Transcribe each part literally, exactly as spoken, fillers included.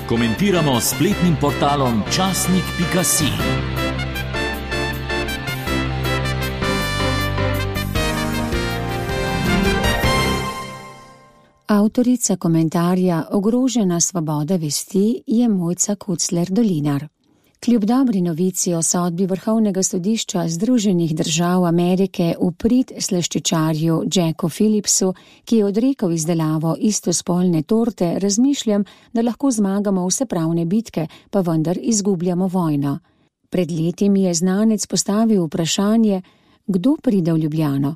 Komentiramo s spletnim portalom časnik pika si. Avtorica komentarja Ogrožena svoboda vesti je Mojca Kucler-Dolinar. Kljub dobri novici o sodbi Vrhovnega sodišča Združenih držav Amerike v prid slaščičarju Jacku Phillipsu, ki je odrekel izdelavo istospolne torte, razmišljam, da lahko zmagamo vse pravne bitke, pa vendar izgubljamo vojno. Pred leti mi je znanec postavil vprašanje, kdo pride v Ljubljano.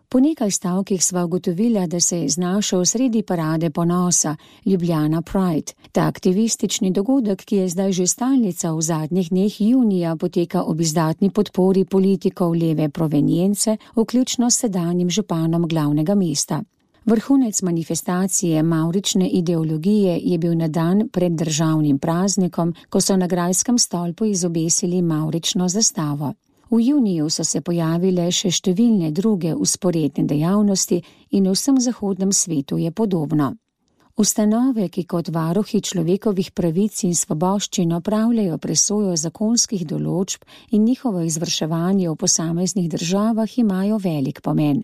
Po nekaj stavkih sva ugotovila, da se je znašel sredi parade ponosa Ljubljana Pride. Ta aktivistični dogodek, ki je zdaj že stalnica v zadnjih dneh junija, poteka ob izdatni podpori politikov leve provenience, vključno s sedanjim županom glavnega mesta. Vrhunec manifestacije mavrične ideologije je bil na dan pred državnim praznikom, ko so na grajskem stolpu izobesili mavrično zastavo. V juniju so se pojavile še številne druge vzporedne dejavnosti in v vsem zahodnem svetu je podobno. Ustanove, ki kot varuhi človekovih pravic in svoboščin opravljajo presojo zakonskih določb in njihovo izvrševanje v posameznih državah, imajo velik pomen.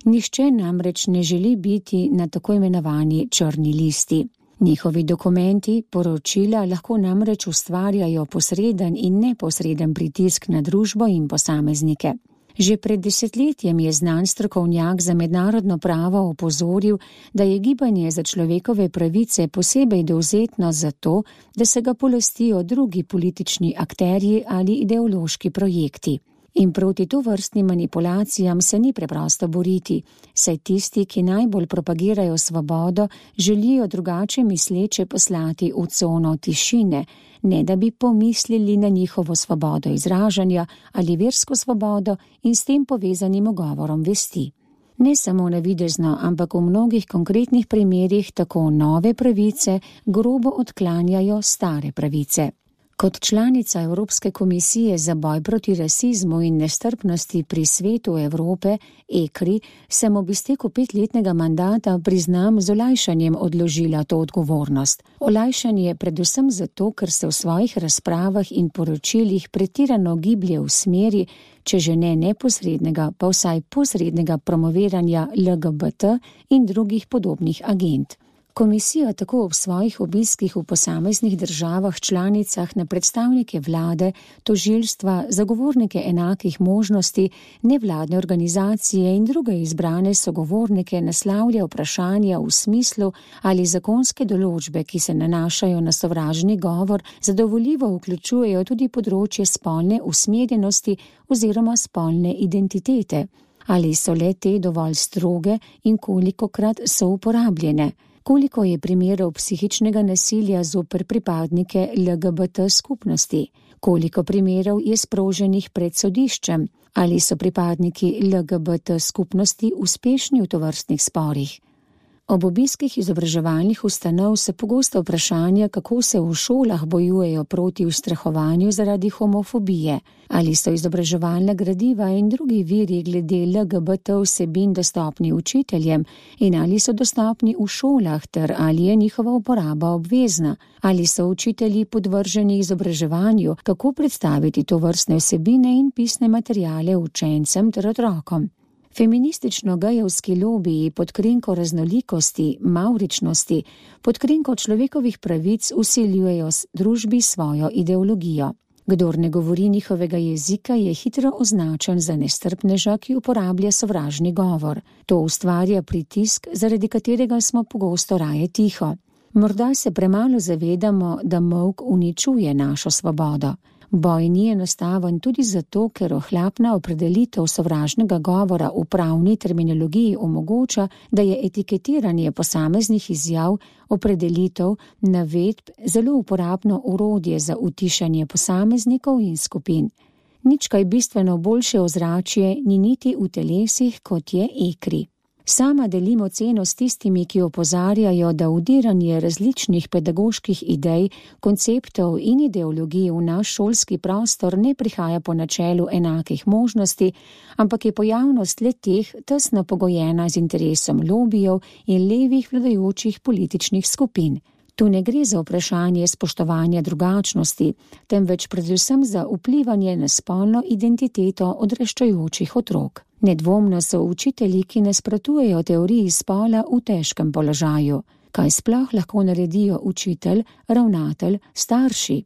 Nihče namreč ne želi biti na tako imenovani črni listi. Njihovi dokumenti, poročila lahko namreč ustvarjajo posreden in neposreden pritisk na družbo in posameznike. Že pred desetletjem je znan strokovnjak za mednarodno pravo opozoril, da je gibanje za človekove pravice posebej dovzetno zato, da se ga polastijo drugi politični akterji ali ideološki projekti. In proti tovrstnim manipulacijam se ni preprosto boriti, saj tisti, ki najbolj propagirajo svobodo, želijo drugače misleče poslati v cono tišine, ne da bi pomislili na njihovo svobodo izražanja ali versko svobodo in s tem povezanim ugovorom vesti. Ne samo navidezno, ampak v mnogih konkretnih primerih tako nove pravice grobo odklanjajo stare pravice. Kot članica Evropske komisije za boj proti rasizmu in nestrpnosti pri Svetu Evrope, E K R I, sem ob izteku petletnega mandata, priznam, z olajšanjem odložila to odgovornost. Olajšanje predvsem zato, ker se v svojih razpravah in poročilih pretirano giblje v smeri, če že ne neposrednega, pa vsaj posrednega promoviranja L G B T in drugih podobnih agend. Komisija tako ob svojih obiskih v posameznih državah članicah na predstavnike vlade, tožilstva, zagovornike enakih možnosti, nevladne organizacije in druge izbrane sogovornike naslavlja vprašanja v smislu, ali zakonske določbe, ki se nanašajo na sovražni govor, zadovoljivo vključujejo tudi področje spolne usmerjenosti oziroma spolne identitete, ali so le te dovolj stroge in kolikokrat so uporabljene. Koliko je primerov psihičnega nasilja zoper pripadnike L G B T skupnosti? Koliko primerov je sproženih pred sodiščem? Ali so pripadniki L G B T skupnosti uspešni v tovrstnih sporih? Ob obiskih izobraževalnih ustanov se pogosto vprašanja, kako se v šolah bojujejo proti ustrahovanju zaradi homofobije, ali so izobraževalna gradiva in drugi viri glede L G B T vsebin dostopni učiteljem in ali so dostopni v šolah ter ali je njihova uporaba obvezna, ali so učitelji podvrženi izobraževanju, kako predstaviti tovrstne vsebine in pisne materiale učencem ter otrokom. Feministično-gejevski lobiji pod krinko raznolikosti, mavričnosti, pod krinko človekovih pravic vsiljujejo družbi svojo ideologijo. Kdor ne govori njihovega jezika, je hitro označen za nestrpneža, ki uporablja sovražni govor. To ustvarja pritisk, zaradi katerega smo pogosto raje tiho. Morda se premalo zavedamo, da molk uničuje našo svobodo. Boj ni enostaven tudi zato, ker ohlapna opredelitev sovražnega govora v pravni terminologiji omogoča, da je etiketiranje posameznih izjav, opredelitev, navedb zelo uporabno orodje za utišanje posameznikov in skupin. Nič kaj bistveno boljše ozračje ni niti v telesih, kot je E K R I. Sama delim oceno s tistimi, ki opozarjajo, da vdiranje različnih pedagoških idej, konceptov in ideologij v naš šolski prostor ne prihaja po načelu enakih možnosti, ampak je pojavnost le-teh tesno pogojena z interesom lobijev in levih vladajočih političnih skupin. Tu ne gre za vprašanje spoštovanja drugačnosti, temveč predvsem za vplivanje na spolno identiteto odraščajočih otrok. Nedvomno so učitelji, ki nasprotujejo teoriji spola, v težkem položaju. Kaj sploh lahko naredijo učitelj, ravnatelj, starši?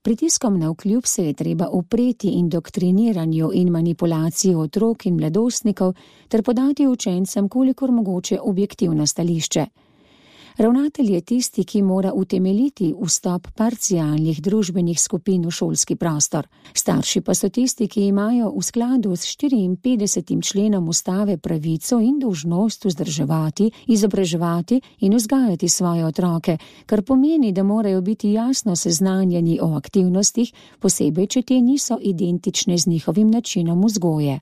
Pritiskom navkljub se je treba upreti indoktriniranju in manipulaciji otrok in mladostnikov ter podati učencem kolikor mogoče objektivno stališče. Ravnatelj je tisti, ki mora utemeljiti vstop parcialnih družbenih skupin v šolski prostor. Starši pa so tisti, ki imajo v skladu s štiriinpetdesetim členom ustave pravico in dolžnost vzdrževati, izobraževati in vzgajati svoje otroke, kar pomeni, da morajo biti jasno seznanjeni o aktivnostih, posebej, če te niso identične z njihovim načinom vzgoje.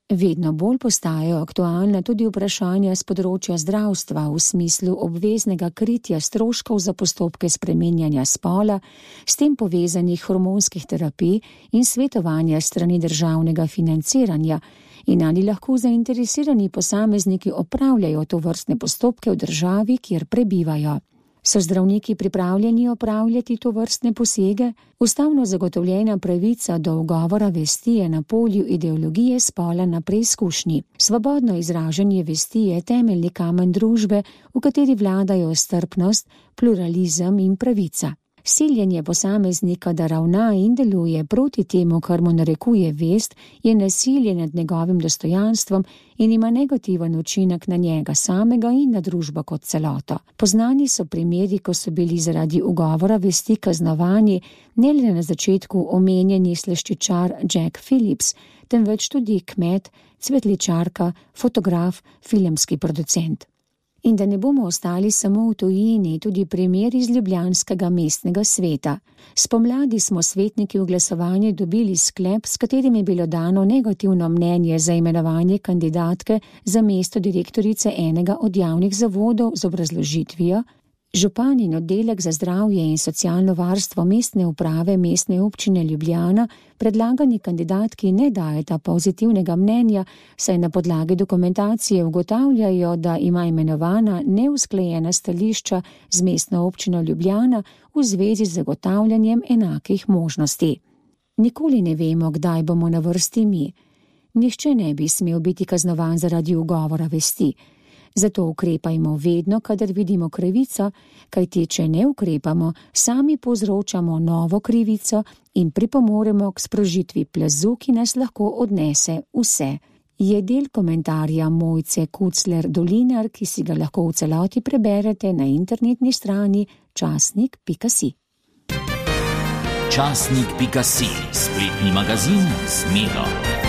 Vedno bolj postajajo aktualna tudi vprašanja z področja zdravstva v smislu obveznega kritja stroškov za postopke spreminjanja spola, s tem povezanih hormonskih terapij in svetovanja strani državnega financiranja in ali lahko zainteresirani posamezniki opravljajo tovrstne postopke v državi, kjer prebivajo. So zdravniki pripravljeni opravljati tovrstne posege? Ustavno zagotovljena pravica do ugovora vesti je na polju ideologije spola na preizkušnji. Svobodno izražanje vesti je temeljni kamen družbe, v kateri vladajo strpnost, pluralizem in pravica. Siljenje posameznika, da ravna in deluje proti temu, kar mu narekuje vest, je nasilje nad njegovim dostojanstvom in ima negativen učinek na njega samega in na družbo kot celoto. Poznani so primeri, ko so bili zaradi ugovora vesti kaznovani ne le na začetku omenjeni sleščičar Jack Phillips, temveč tudi kmet, cvetličarka, fotograf, filmski producent. In da ne bomo ostali samo v tujini, tudi primer iz ljubljanskega mestnega sveta. Spomladi smo svetniki v glasovanju dobili sklep, s katerim je bilo dano negativno mnenje za imenovanje kandidatke za mesto direktorice enega od javnih zavodov z obrazložitvijo: župan in oddelek za zdravje in socialno varstvo mestne uprave Mestne občine Ljubljana predlagani kandidatki ne dajeta pozitivnega mnenja, saj na podlagi dokumentacije ugotavljajo, da ima imenovana neusklajena stališča z Mestno občino Ljubljana v zvezi z zagotavljanjem enakih možnosti. Nikoli ne vemo, kdaj bomo na vrsti mi. Nihče ne bi smel biti kaznovan zaradi ugovora vesti. Zato ukrepajmo vedno, kadar vidimo krivico, kajti če ne ukrepamo, sami povzročamo novo krivico in pripomoremo k sprožitvi plazu, ki nas lahko odnese vse. Je del komentarja Mojce Kucler Dolinar, ki si ga lahko v celoti preberete na internetni strani časnik pika si. Časnik pika si, spletni magazin z Miro.